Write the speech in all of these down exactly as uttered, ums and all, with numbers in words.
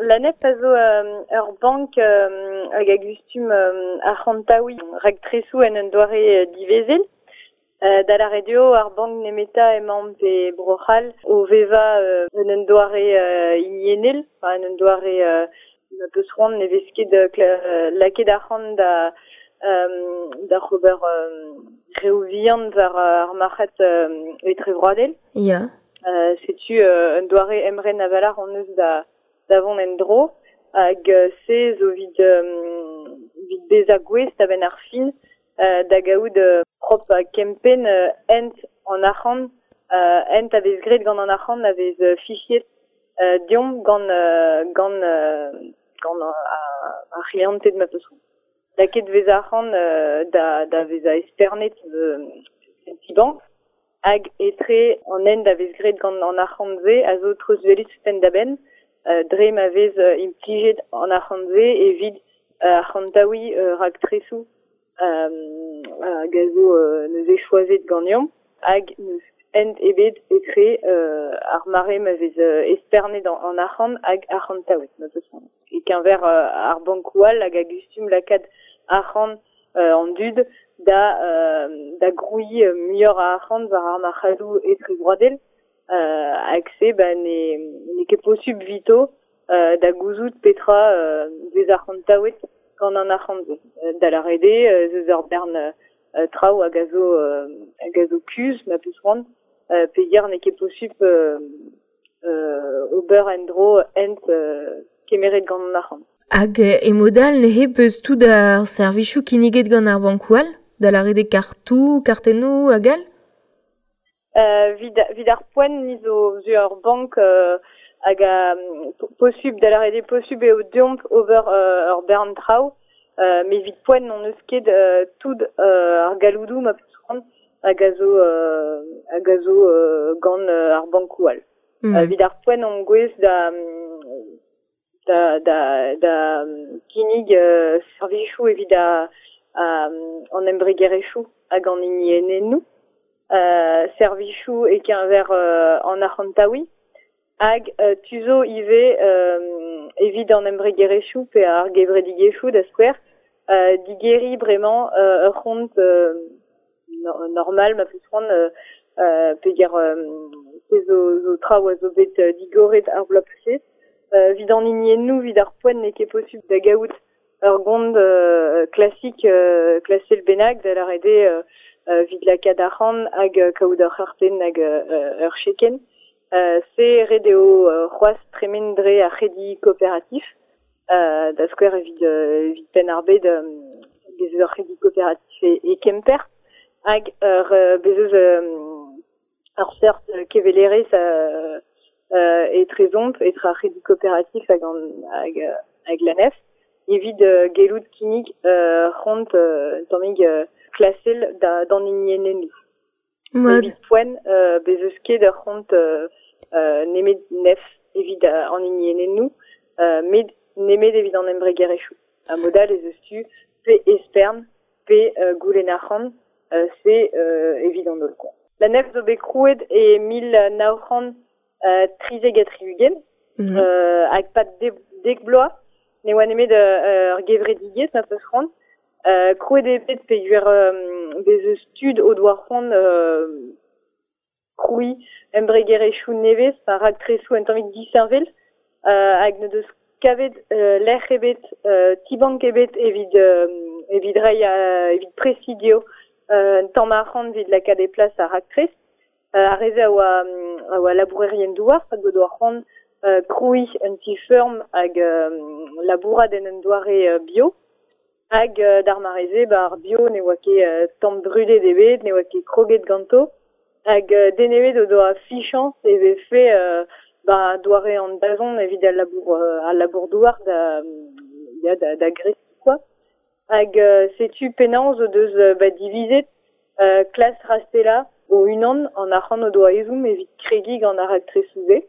La N E F a zo euh, ur bank euh, hag a gustum euh, arc'hantaouiñ raktresoù en un doare divezel. Euh, da la radio ar bank nemeta emañ pe Bro-C'hall o veva euh, en un doare euh, hiniennel, enfin, en un doare euh, na peus c'hoant ne vez ket euh, lakaet arc'hant da euh, da c'hober euh, reoù vihan war ar marc'had euh, etrevroadel. Ya. Euh, setu euh, un doare emren avalar an eus da da vont en dro hag euh, se zo vid, euh, vid bezañ gouest a-benn ar fin euh, da gaout euh, prop a kempenn euh, hent an arc'hant euh, hent a vez graet gant an arc'hant a vez euh, fichiet euh, deomp gant euh, gant euh, gant euh, ar c'hlianted ma peus c'hoant. Lakaet vez arc'hant euh, da, da vezañ espernet euh, en ti-bank hag etre an hent a vez graet gant an arc'hant-se a zo treuzwelet penn-da-benn euh, dre ma vez euh, implijet an arc'hant-se evit euh, arc'hantaouiñ euh, raktresoù euh, hag a zo euh, neuze choazet ganeomp hag n'eus hent ebet etre euh, ar mare ma vez euh, espernet an, an arc'hant hag arc'hantaouet ma peus c'hoant. E keñver euh, ar bankoù all hag a gustum lakaat arc'hant euh, an dud da euh, da grouiñ euh, muioc'h a arc'hant war ar marc'hadoù etrevroadel euh, hag se ba ne n'eo ket posubl 'vito euh, da gouzout petra euh, vez arc'hantaouet gant an arc'hant-se. Euh, da lâret eo euh, eus ur bern euh, traoù hag a zo euh, hag a zo kuzh ma peus c'hoant euh, peogwir n'eo ket posubl euh, euh, ober en-dro hent euh, kemeret gant an arc'hant. Hag e modal neuze peus tout ar servijoù kinniget gant ar bankoù all, da lâret eo kartoù, kartennoù hag all? Euh, vid, vid ar poent ni zo zo ur bank euh, hag a posubl da lâret eo posubl eo deomp ober euh, ur bern traoù euh, met evit poent n'hon eus ket euh, tout euh, ar galloudoù ma peus c'hoant hag a zo euh, hag a zo euh, gant euh, ar bankoù all. Mm. Euh, evit ar poent on gouez da da da da kinnig euh, servijoù evit a, a an embregerezhioù hag an hiniennennoù. Euh, servijoù e-keñver euh, an arc'hantaouiñ hag euh, tu zo ivez euh, evit an embregerezhioù pe ar gevredigezhioù da skouer euh, digeriñ bremañ euh, ur c'hont euh, no- normal ma peus c'hoant euh, euh, peogwir euh, se zo, zo traoù a zo bet euh, digoret ar bloaz paseet. Euh, evit an hiniennoù evit ar poent n'eo ket posubl da gaout ur gont euh, klasik euh, klasel bennak da lâret eo euh, euh, evit lakaat arc'hant hag euh, kaout ur c'hartenn hag euh, ur chekenn. Euh, se ret eo euh, c'hoazh tremen dre ar c'hredi kooperatif euh, da skouer evit, euh, evit Penn-ar-Bed euh, bez eus ur c'hredi kooperatif e, e Kemper hag ur euh, bez eus euh, ur seurt kevelerezh euh, euh, etrezomp etre ar c'hredi kooperatif hag an hag, hag la N E F evit euh, gellout kinnig euh, c'hont euh, tammig euh, klasel da d'an hiniennennoù. Mat. Evit poent euh, bez eus ket ur c'hont euh, euh, nemet N E F evit euh, an hiniennennoù euh, met nemet evit an embregerezhioù. A modal ez eus tu pe espern pe euh, goulenn arc'hant euh, se euh, evit an holl quoi. La N E F zo bet krouet e mil nav c'hant euh, trizek ha tri-ugent Mm. euh, hag pad de- dek bloaz ne oa nemet euh, ur gevredigezh ma peus c'hoant. Euh, krouet eo bet peogwir euh, bez eus tud o doa c'hoant euh, krouiñ embregerezhioù nevez, enfin raktresoù un tammig disheñvel, euh, hag ne deus kavet euh, lec'h ebet, euh, ti-bank ebet evit, euh, evit reiñ euh, evit presidio euh, un tamm arc'hant evit lakaat e plas ar raktres. Euh, ar re-se a oa, a oa labourerien douar, hag o doa c'hoant euh, krouiñ un ti-feurm hag euh, labourat en un doare euh, bio. Hag euh, d'ar mare-se, ba ar bio ne oa ket euh, tamm brudet ebet, ne oa ket kroget ganto. Hag euh, den ebet o doa fichañs e vefe euh, ba doare an dazont evit al labour, euh, al labour douar da, ya, da, da greskiñ quoi. Hag euh, setu penaos o deus euh, ba divizet euh, klas rastela o unan an arc'hant o doa ezhomm evit kregiñ gant ar raktresoù-se.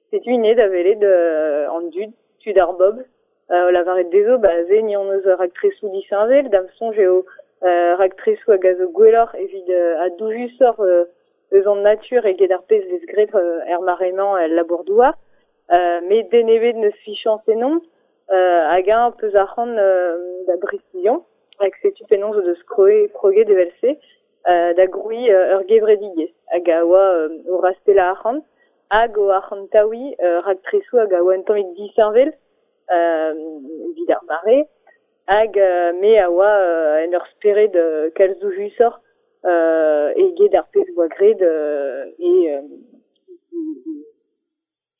Setu int da welet euh, an dud, tud ar bobl. Euh, o lavaret dezho, ba se ni hon eus ur raktresoù disheñvel, da'm soñj eo euh, raktresoù hag a zo gwelloc'h evit euh, ha doujusoc'h euh, eus an natur eget ar pezh vez graet euh, er mare-mañ el labour-douar. Euh, met den ebet neus fichañs ennon, euh, hag eñ peus arc'hant euh, da brestizion, hag setu penaos o deus kroe, kroget evel-se, euh, da grouiñ euh, ur gevredigezh, hag a oa euh, o rastelañ arc'hant, hag o arc'hantaouiñ euh, raktresoù hag a oa un tammig disheñvel, euh, evit ar mare, hag euh, me a oa euh, en ur spered euh, kalz doujusoc'h euh, eget ar pezh oa graet euh, e, euh,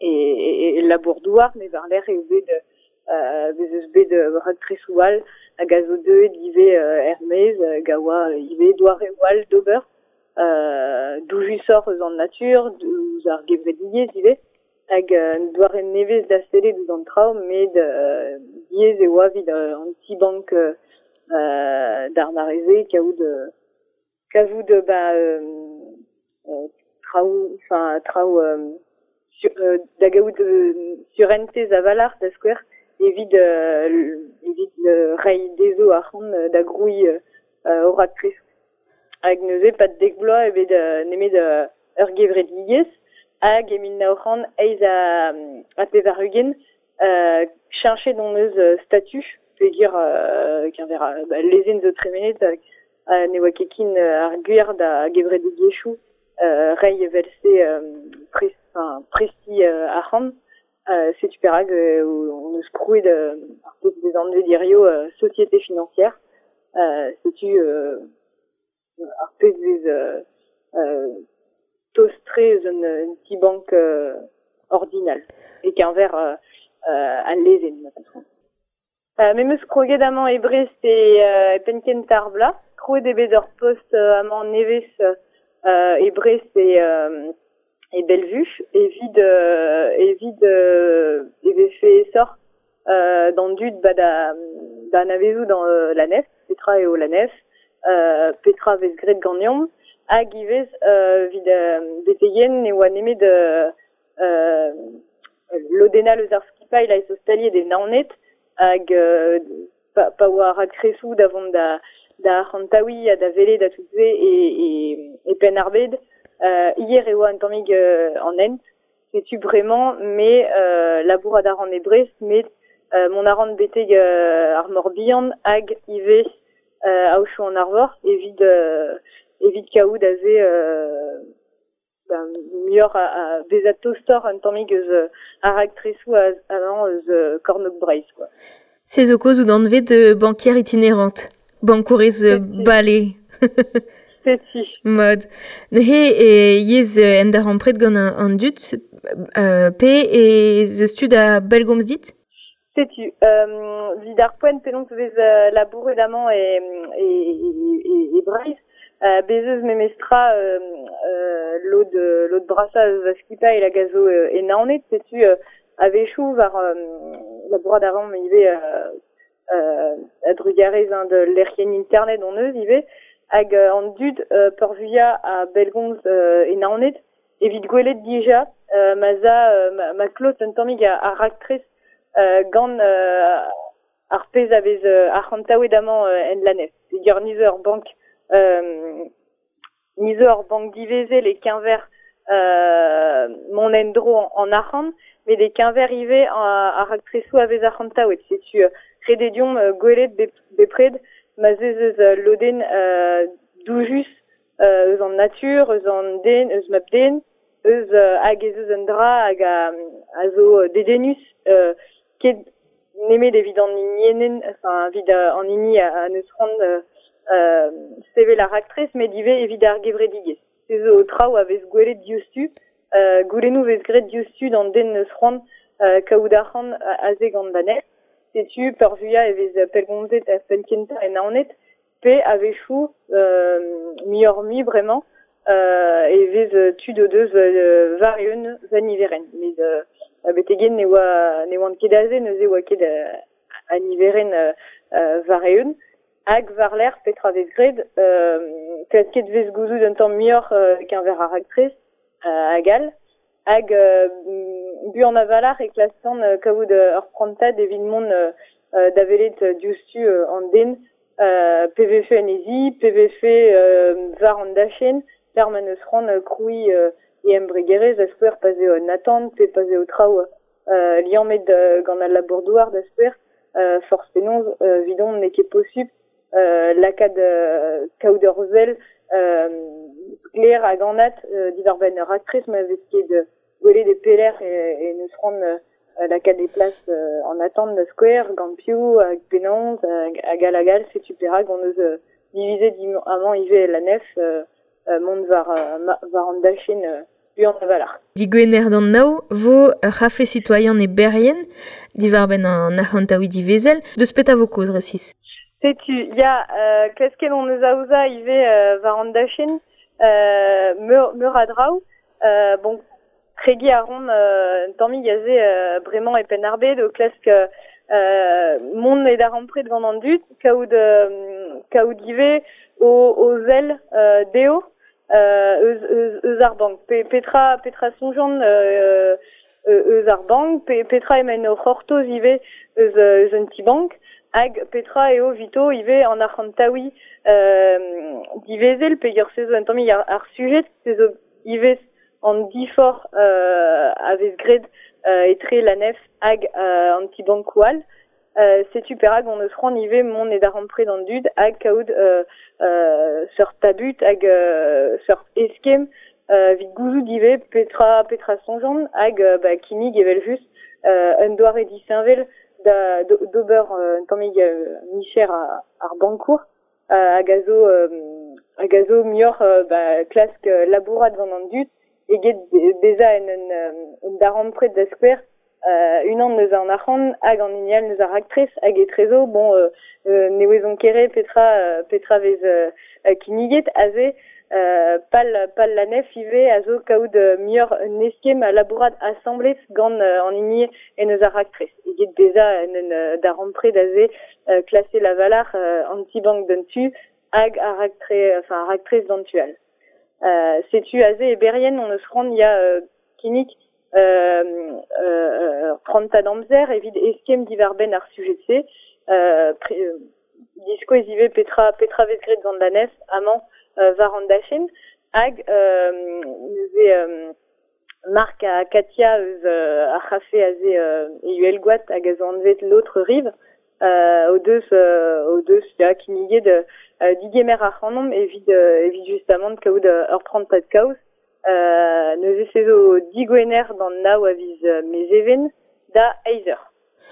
e, e, e labour-douar, met war-lerc'h eo bet euh, bez eus bet euh, raktresoù all hag a zo deuet ivez euh, er-maez hag a oa ivez doareoù all d'ober, euh, doujusoc'h eus an natur, ouzh ar gevredigezh ivez, hag euh, un doare nevez da sellet ouzh an traoù, met euh, diaes e oa evit euh, an ti-bank euh, euh, d'ar mare-se kaout euh, kavout euh, ba euh, euh, traoù, enfin traoù euh, sur, euh, da gaout euh, surentez a-walc'h da skouer evit euh, evit euh, reiñ dezho arc'hant euh, da grouiñ euh, euh, o raktres. Hag neuze pad dek bloaz eo bet euh, nemet euh, ur gevredigezh, hag e mil nav c'hant eizh ha, ha pevar-ugent euh, cheñchet hon eus euh, statut, peogwir euh, keñver euh, ba, lezenn zo tremenet hag ha ne oa ket ken euh, ar gwir da gevredigezhioù euh, reiñ evel-se euh, pres, enfin, prestiñ euh, arc'hant. Euh, setu perak euh, on eus krouet euh, ar pezh vez anvet hirio euh, société financière. Euh, setu euh, ar pezh vez euh, euh, tost-tre eus un, un ti-bank euh, ordinal, e keñver euh, euh, al lezenn, ma patron. Euh, me 'm eus kroget amañ e Brest e, euh, e penn-kentañ ar bloaz, krouet eo bet ur post euh, amañ nevez euh, e Brest e, euh, e Bellevue, evit, euh, evit euh, e vefe aesoc'h euh, d'an dud ba da, da anavezout an euh, la N E F, petra eo la N E F, euh, petra vez graet ganeomp, hag ivez euh, evit euh, beteien ne oa nemet euh, euh, lodennañ eus ar skipailh a zo staliet e Naoned, hag euh, pa, pa oa raktresoù da vont da, da arc'hantaouiñ ha da welet ha tout se e, e, e Penn-ar-Bed. Euh, hier e oa un tammig euh, an hent, setu bremañ, me euh, labourat a ran e Brest, met euh, mont a ran betek euh, ar Morbihan hag ivez euh, Aochou an Arvor evit, euh, evit kaout aze euh, ben, muioc'h a, a bezañ tostoc'h un tammig eus euh, ar raktresoù amañ eus euh, Kornôg Breizh, quoi. Se zo kaoz out anvet euh, banquière itinérante, bankourez euh, bale. Setu. Mod. Neuze e yez euh, en darempred gant an, an dud, euh, pe e zeus tu da bellgomz dit? Setu. Euh, evit ar poent penaos vez euh, labouret amañ e, e, e, e Breizh, euh, bez eus memestra euh, euh, lod, lod brasañ eus va skipailh hag a zo euh, e Naoned, setu euh, a-wechoù war euh, labourat a ran ivez euh, euh, a-drugarez hein, de lec'hienn internet hon eus ivez, hag euh, an dud euh, peurvuiañ a bellgomz euh, e Naoned, evit gwelet dija euh, ma za euh, ma, ma klot un tammig a, a raktres euh, gant euh, ar pezh a vez euh, arc'hantaouet amañ euh, en la N E F. Peogwir ni zo ur bank euh, ni zo ur bank divezel e keñver euh, mont en-dro en, en arc'hant, met e keñver ivez ar raktresoù a vez arc'hantaouet. Setu euh, ret eo deomp euh, gwelet bepred ma 'z eus euh, lodenn euh, doujus euh, eus an natur, eus an den, eus mab-den, eus euh, hag ez eus un dra hag a, a zo dedennus euh, ket nemet evit an hinienn, enfin evit euh, an hini a, a neus c'hoant euh, euh, sevel ar raktres, met ivez evit ar gevredigezh. Se zo traoù a vez gwelet diouzhtu, euh, goulennoù vez graet diouzhtu d'an den neus c'hoant euh, kaout arc'hant aze gant la N E F. Setu peurvuiañ e vez pellgomzet er penn-kentañ e Naoned, pe a-wechoù euh, muioc'h-mui bremañ euh, e vez tud o deus euh, war-eeun va niverenn. Met euh, betek-henn ne oa, ne oant ket aze, neuze oa ket euh, a niverenn euh, euh, war-eeun. Hag war-lerc'h petra vez graet, euh, klasket vez gouzout un tamm muioc'h euh, keñver ar raktres euh, hag all. Hag euh, buan a-walc'h e klaskan euh, kaout euh, ur prantad evit mont euh, euh, da welet diouzhtu euh, an den, euh, P V F en e zi, P V F euh, war an dachenn, per ma neus c'hoant euh, krouiñ euh, e embregerezh a skouer pa 'z eo un atant, pe pa 'z eo traoù euh, liammet euh, gant al labour-douar da skouer, euh, forzh penaos euh, 'vidon n'eo ket posupl euh, lakaat euh, kaout ur sell euh, sklaer hag anat euh, diwar-benn ur raktres ma vez ket euh, gwelet e pelec'h e, e neus c'hoant euh, lakaat e plas euh, an atant da skouer, gant piv, hag penaos, hag, hag all hag all, setu perak hon eus euh, divizet amañ ivez la nef euh, euh, mont war, euh, ma, war an dachenn euh, buan a-walc'h. Digwener d'an nav vo ur c'hafe citoyen e Berrien, diwar-benn an arc'hantaouiñ divezel, deus petra vo kaoz resis. Setu, ya, euh, klasket hon eus aozañ ivez euh, war an dachenn, euh, meur, meur a draoù, euh, bon, kregiñ a ran euh, un tammig aze euh, bremañ e Penn-ar-Bed o klask euh, mont e darempred gant an dud, kaout, euh, kaout ivez o, o sell euh, dezho euh, eus, eus, eus ar bank. Pe, petra, petra soñjont euh, eus ar bank, pe, petra emaint o c'hortoz ivez eus, eus un ti-bank, hag petra eo 'vito ivez an arc'hantaouiñ euh, divezel, peogwir se zo un tammig ar, ar sujet, se zo ivez an diforc'h euh, a vez graet euh, etre la nef hag euh, an ti-bankoù all. Euh, setu perak hon eus c'hoant ivez mont e darempred an dud hag kaout euh, euh, seurt tabut hag euh, seurt eskemm euh, 'vit gouzout ivez petra, petra soñjont hag euh, ba, kinnig evel-just euh, un doare disheñvel da d'ober euh, un tammig euh, micher ar, ar bankour euh, hag a zo euh, hag a zo muioc'h euh, ba, klask euh, labourat gant an dud eget bezañ en un, un darempred da skouer euh, unan eus an arc'hant hag an hini all eus ar raktres hag etrezo, bon, euh, euh, ne ouezont ket re petra, euh, petra vez euh, kinniget aze euh, pal, pal la nef ivez a zo kaout euh, muioc'h un eskemm a labourat asambles gant euh, an hini en eus ar raktres eget bezañ en un euh, darempred aze euh, klase lavalar euh, an ti-bank d'un tu hag ar raktre, enfin ar raktres d'an tu all. Euh, setu aze e Berrien on eus c'hoant ya euh, kinnig euh, euh, prantad amzer evit eskemm diwar-benn ar sujet-se, euh, pre, euh, diskouez ivez petra, petra vez graet gant la nef amañ euh, war an dachenn hag euh, neuze euh, Marc ha Katia eus euh, ar c'hafe aze euh, e Uhelgoat hag a zo anvet l'autre rive, euh, o deus, euh, o deus ya kinniget euh, digemer ac'hanomp evit, euh, evit justamant kaout euh, ur prantad kaoz. Euh, neuze se zo digwener d'an nav a viz euh, Mezheven da eizh eur.